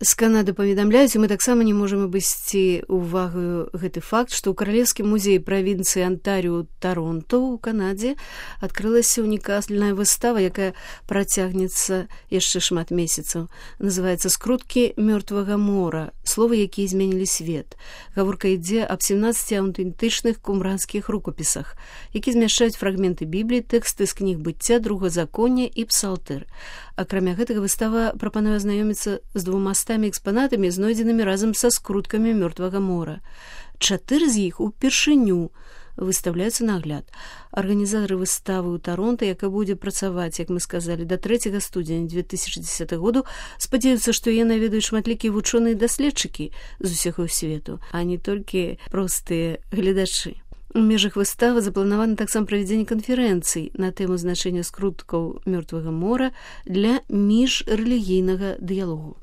З Канады паведамляюць, і мы таксама не можам абысці ўвагаю гэты факт, што ў каралеўскім музеі правінцыі Антарыё Таронто ў Канадзе адкрылася унікальная выстава, якая працягнецца яшчэ шмат месяцаў. Называецца «Скруткі мёртвага мора. Словы, якія зменілі свет». Гаворка ідзе аб 17 аўтэнтычных кумранскіх рукапісах, які змяшчаюць фрагменты Бібліі, тэксты з кніг быцця, другазаконня і псалтыр. Акрамя гэтага выстава прапануе азнаёміцца з 200 экспанатамі, знойдзенымі разам са скруткамі мёртвага мора. 4 з іх упершыню выстаўляюцца на агляд. Арганізатары выставы ў Таронта, якая будзе працаваць, як мы сказалі, да 3 студзеня 2010 году, спадзяюцца, што яе наведаюць шматлікія вучоныя даследчыкі з усяго свету, а не толькі простыя гледачы. У межах выставы запланавана таксама правядзенне канферэнцый на тэму значэння скруткаў мёртвага мора для міжрэлігійнага дыялогу.